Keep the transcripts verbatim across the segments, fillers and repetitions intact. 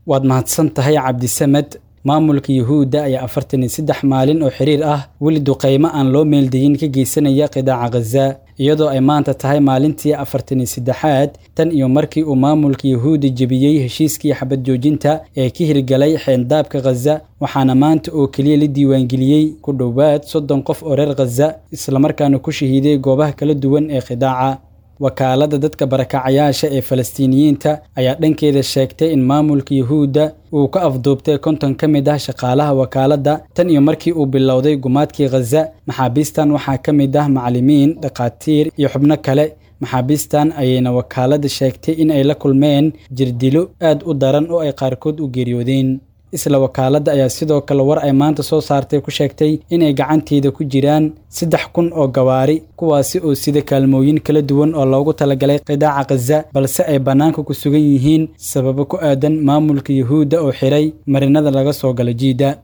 Waad mahadsan tahay, Cabdisamed. Maamulka Yuhuudda ayaa afartan iyo saddex maalin oo xiriir ah weli duqeymo aan loo meeldayin ka geysanaya qidaaca Khaza, iyadoo ay maanta tahay maalintii afartan iyo saddexaad tan iyo markii uu maamulka Yuhuudda jebiyey heshiiskii xabad joojinta ee ka hirgalay xeendaabka Khaza. Waxaana maanta oo keliya la diiwaangeliyey ku dhowaad soddon qof oo reer Khaza, islamarkaana ku shahiiday goobaha kala duwan ee qidaaca. Wakaaladda dadka barakacayaasha ee Falastiiniyiinta ayaa dhankeeda sheegtay in maamulka Yuhuudda uu ka afduubtay konton ka mid ah shaqaalaha wakaaladda tan iyo markii uu bilowday gumaadkii Khaza. Maxaabiistan waxaa ka mid ah macallimiin, dhakhaatiir iyo xubno kale. Maxaabiistan ayayna wakaaladda sheegtay in ay la kulmeen jirdilo aad u daran oo ay qaarkood u geeriyoodeen. Isla wakaaladda ayaa sidoo kale war ay maanta soo saartay ku sheegtay inay gacanteeda ku jiraan saddex kun oo gawaari, kuwaasi oo sida kaalmooyin kala duwan oo loogu talagalay qidaaca Khaza, balse ay bannaanka ku sugan yihiin sababo ku aadan maamulka Yuhuudda oo xiray marinada laga soo galo jiidda.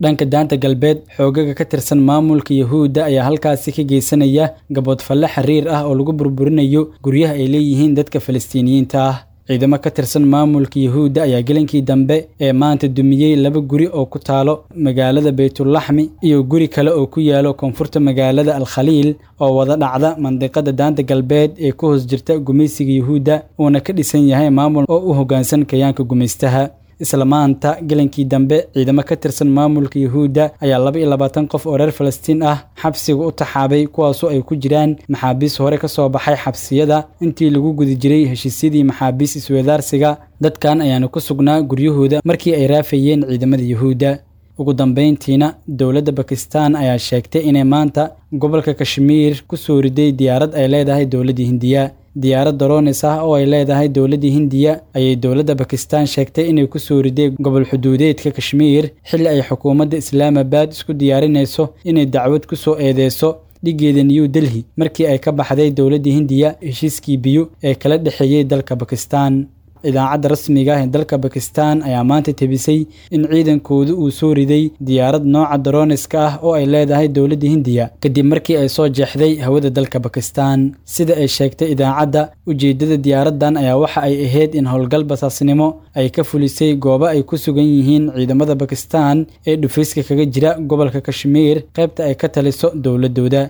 Dhanka Daanta Galbeed, xoogaga ka tirsan maamulka Yuhuudda ayaa halkaasi ka geysanaya gaboodfalle xiriir ah oo lagu burburinayo guryaha ay leeyihiin dadka Falastiiniyiinta ah. Ciidamo ka tirsan maamulka Yuhuudda ayaa gelinkii dambe ee maanta dumiyey laba guri oo ku taalo magaalada Baytulaxmi iyo guri kale oo ku yaalo koonfurta magaalada Al-Khaliil oo wada dhacda mandiqada Daanta Galbeed ee ku hoos jirta gumaysiga Yuhuudda, uuna ka dhisan yahay maamul oo u hoggaansan kayaanka gumaystaha. Isla maanta gelinkii dambe, ciidamo ka tirsan maamulka Yuhuudda ayaa laba iyo labaatan qof oo reer Falastiin ah xabsiga u taxaabay, kuwaasoo ay ku jiraan maxaabiis hore ka soo baxay xabsiyada intii lagu guda jiray heshiisyadii maxaabiis isweydaarsiga. Dadkan ayaana ku sugnaa guryahooda markii ay raafayeen ciidamada Yuhuudda. Ugu dambeyntiina, dowladda Bakistan ayaa sheegtay inay maanta gobolka Kashmiir ku soo riday diyaarad ay leedahay dowladda Hindiya. Diyaarad drones ah oo ay leedahay dowladda Hindiya ayay dowladda Bakistan sheegtay inay ku soo riday gobol xuduudeedka Kashmiir, xilli ay xukuumadda Islaamabad isku diyaarinayso inay dacwad ku soo eedeyso dhigeeda New Delhi markii ay ka baxday dowladda Hindiya heshiiskii biyo ee kala dhexeeyey dalka Bakistan. Idaacadda rasmiga ah ee dalka Bakistan ayaa maanta tebisay in ciidankoodu uu soo riday diyaarad nooca droniska ah oo ay leedahay dowladda Hindiya kadib markii ay soo jeexday hawada dalka Bakistan. Sida ay sheegtay idaacadda, ujeeddada diyaaraddan ayaa waxa ay ahayd in howlgal basaasnimo ay ka fulisay goobo ay ku sugan yihiin ciidamada Bakistan ee dhufayska kaga jira gobolka Kashmiir, qaybta ay ka taliso dowladooda.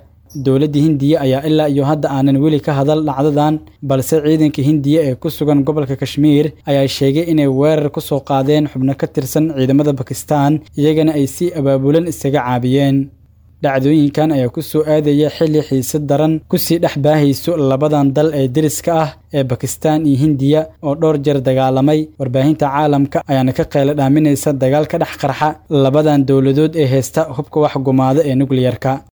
Dowladda Hindiya ayaa ilaa iyo hadda aanan weli ka hadal dhacdadan, balse ciidanka Hindiya ee ku sugan gobolka Kashmiir ayaa sheegay inay weerar ku soo qaadeen xubno ka tirsan ciidamada Bakistan, iyagana ay si abaabulan isaga caabiyeen. Dhacdooyinkan ayaa ku soo aadaya xilli xiisad daran kusii dhex baahayso labadan dal ee deriska ah ee Bakistan iyo Hindiya oo dhowr jeer dagaalamay. Warbaahinta caalamka ayaana ka qaylo dhaaminaysa dagaal ka dhex qarxa labadan dowladood ee heysta hubka wax gumaada ee nukliyarka.